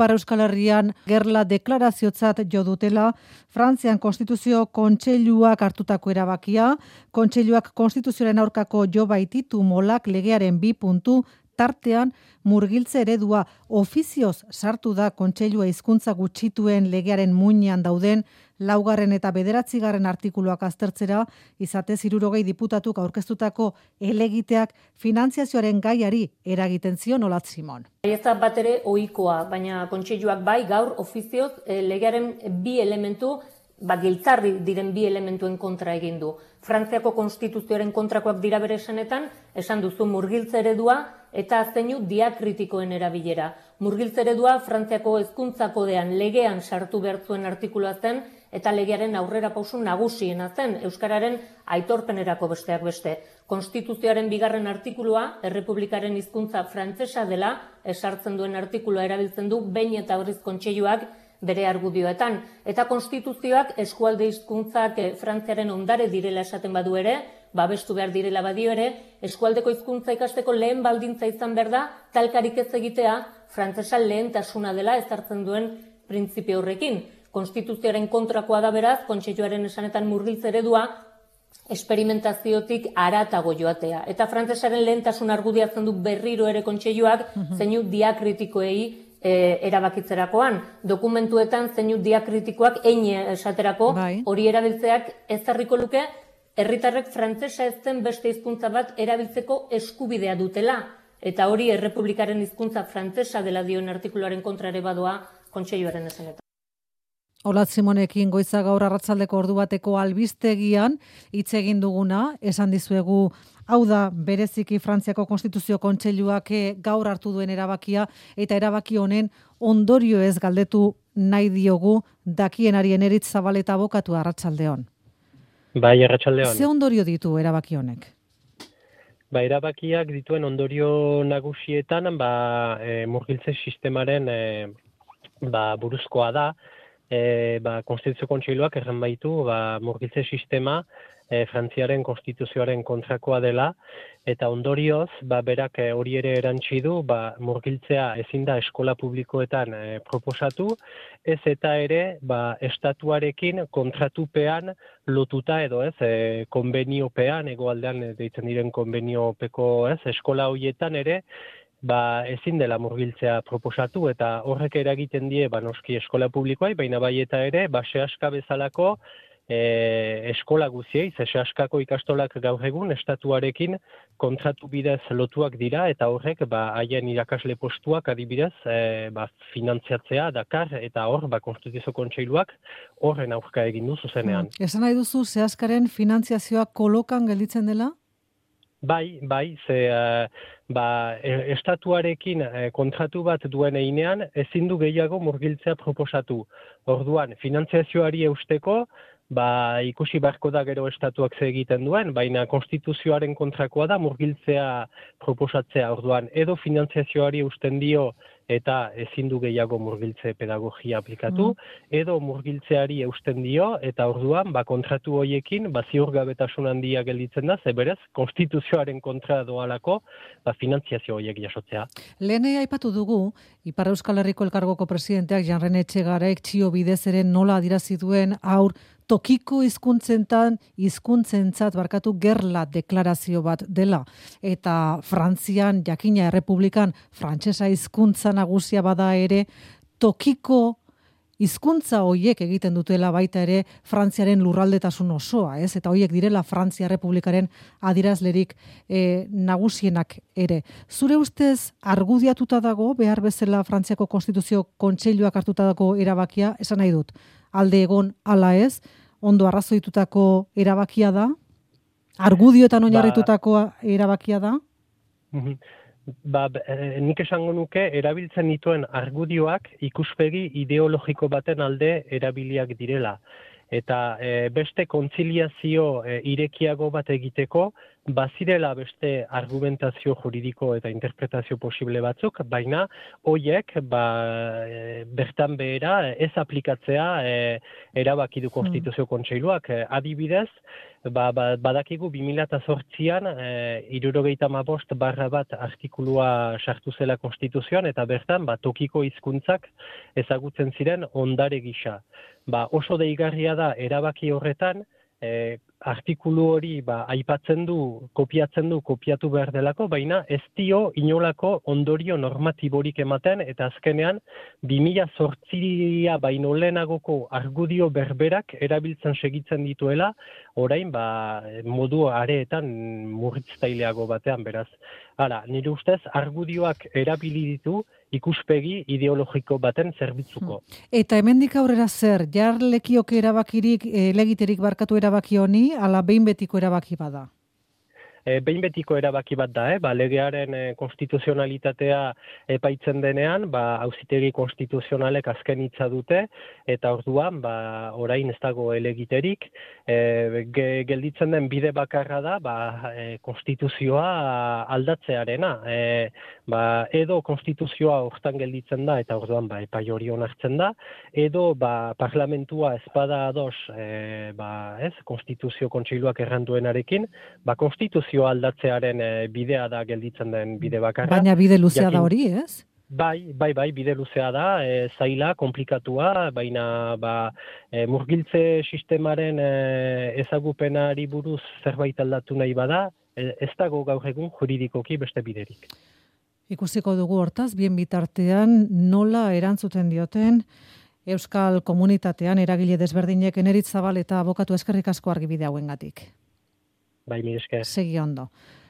Ipar Euskal Herrian gerla deklaraziotzat jo dutela, Frantzian Konstituzio Kontseiluak hartutako erabakia, Kontseiluak Konstituzioaren aurkako jo baititu molak legearen 2 puntu, tartean murgiltze eredua ofizioz sartu da Kontseilua hizkuntza gutxituen legearen muinean dauden 4. eta 9. artikuluak aztertzera, izatez 60 diputatuk aurkeztutako helegiteak finantziazioaren gaiari eragiten zion Olatz Simon. Ez da bat ere ohikoa, baina Kontseiluak bai gaur ofizioz legearen 2 elementu giltzarri diren 2 elementuen kontra egin du. Frantziako Konstituzioaren kontrakoak dira bere esanetan, esan duzu murgiltze eredua eta zeinu diakritikoen erabilera. Murgiltze eredua Frantziako hezkuntza kodean legean sartu behar zuen artikulua zen eta legearen aurrera pausu nagusiena zen, euskararen aitorpenerako besteak beste. Konstituzioaren 2. artikulua, Errepublikaren hizkuntza frantsesa dela, esartzen duen artikulua erabiltzen du behin eta berriz Kontseiluak bere argudioetan. Eta Konstituzioak eskualde hizkuntzak Frantziaren ondare direla esaten badu ere, babestu behar direla badio ere, eskualdeko hizkuntza ikasteko lehen baldintza izan behar da, talkarik ez egitea, frantsesa lehentasuna dela ezartzen duen printzipio horrekin. Konstituzioaren kontrakoa da beraz, Kontseiluaren esanetan murgiltze eredua, esperimentaziotik haratago joatea. Eta frantsesaren lehentasun argudiatzen du berriro ere Kontseiluak zeinu diakritikoei erabakitzerakoan. Dokumentuetan zeinu diakritikoak esaterako hori erabiltzeak ezarriko luke herritarrek frantsesa ez den beste hizkuntza bat erabiltzeko eskubidea dutela. Eta hori Errepublikaren hizkuntza frantsesa dela dioen artikuluaren kontra ere badoa Kontseiluaren esanetan. Olatz Simonekin goiza gaur arratsaldeko ordu bateko albistegian hitz egin duguna, esan dizuegu hau da bereziki Frantziako Konstituzio Kontseiluak gaur hartu duen erabakia eta erabaki honen ondorio ez galdetu nahi diogu dakienari Eneritz Zabaleta abokatu arratsaldeon. Bai, arratsaldeon. Ze ondorio ditu erabaki honek? Erabakiak dituen ondorio nagusietan murgiltze sistemaren buruzkoa da. Konstituzio Kontseiluak erran baitu murgiltze sistema Frantziaren Konstituzioaren kontrakoa dela eta ondorioz berak hori ere erantsi du murgiltzea ezin da eskola publikoetan proposatu, ez eta ere estatuarekin kontratupean lotuta edo konbeniopean, hegoaldean deitzen diren konbeniopeko eskola horietan ere ezin dela murgiltzea proposatu eta horrek eragiten die noski eskola publikoai, baina bai eta ere sehaska bezalako eskola guziei, sehaskako ikastolak gaur egun estatuarekin kontratu bidez lotuak dira eta horrek haien irakasle postuak adibidez finantziatzea dakar eta hor Konstituzio Kontseiluak horren aurka egin du zuzenean. Esan nahi duzu sehaskaren finantziazioa kolokan gelditzen dela? Bai, estatuarekin kontratu bat duen heinean ezin du gehiago murgiltzea proposatu. Orduan, finantziazioari eusteko, ikusi beharko da gero estatuak ze egiten duen, baina Konstituzioaren kontrakoa da murgiltzea proposatzea. Orduan, edo finantziazioari eusten dio eta ezin du gehiago murgiltze pedagogia aplikatu, edo murgiltzeari eusten dio eta orduan kontratu horiekin ziurgabetasun handia gelditzen da, ze berez Konstituzioaren kontra doalako finantziazio horiek jasotzea. Lehen aipatu dugu, Ipar Euskal Herriko Elkargoko presidenteak Jan Rene Etxegareik txio bidez ere nola adierazi duen tokiko hizkuntzentzat gerla deklarazio bat dela. Eta Frantzian, jakina Errepublikan, frantsesa hizkuntza nagusia bada ere, tokiko hizkuntza hoiek egiten dutela baita ere Frantziaren lurraldetasun osoa, ez? Eta hoiek direla Frantzia Errepublikaren adierazlerik nagusienak ere. Zure ustez argudiatuta dago behar bezala Frantziako Konstituzio Kontseiluak hartutako erabakia, esan nahi dut, alde egon ala ez, ondo arrazoitutako erabakia da? Argudioetan oinarritutako erabakia da? Nik esango nuke erabiltzen dituen argudioak ikuspegi ideologiko baten alde erabiliak direla. Eta beste kontziliazio irekiago bat egiteko, bazirela beste argumentazio juridiko eta interpretazio posible batzuk, baina hoiek bertan behera ez aplikatzea erabaki du Konstituzio Kontseiluak. Adibidez, badakigu 2008an 75/1 artikulua sartu zela Konstituzioan eta bertan tokiko hizkuntzak ezagutzen ziren ondare gisa. Oso deigarria da erabaki horretan artikulu hori aipatzen du, kopiatu behar delako, baina ez dio inolako ondorio normatiborik ematen eta azkenean 2008 baino lehenagoko argudio berberak erabiltzen segitzen dituela, orain modu areetan murritztaileago batean, beraz. Hala, nire ustez argudioak erabili ditu ikuspegi ideologiko baten zerbitzuko. Eta hemendik aurrera zer, lekioke erabakirik, legiterik barkatu erabaki honi, ala behin betiko erabaki bada? Behin betiko erabaki bat da, legearen konstituzionalitatea epaitzen denean, auzitegi konstituzionalek azken hitza dute, eta orduan, orain ez dago elegiterik, gelditzen den bide bakarra da, konstituzioa aldatzearena. Edo konstituzioa hortan gelditzen da, eta orduan epai hori onartzen da, edo parlamentua ezpada ados, Konstituzio Kontseiluak erranduenarekin, konstituzioa aldatzearen bidea da gelditzen den bide bakarra. Baina bide luzea da hori, ez? Bai, bide luzea da, zaila, komplikatua, baina murgiltze sistemaren ezagupenari buruz zerbait aldatu nahi bada, ez dago gaur egun juridikoki beste biderik. Ikusiko dugu hortaz, bien bitartean nola erantzuten dioten Euskal Komunitatean eragile desberdinek. Eneritz Zabal eta abokatu eskerrik asko argibide hauengatik. Bai, mire esker. Segi ondo.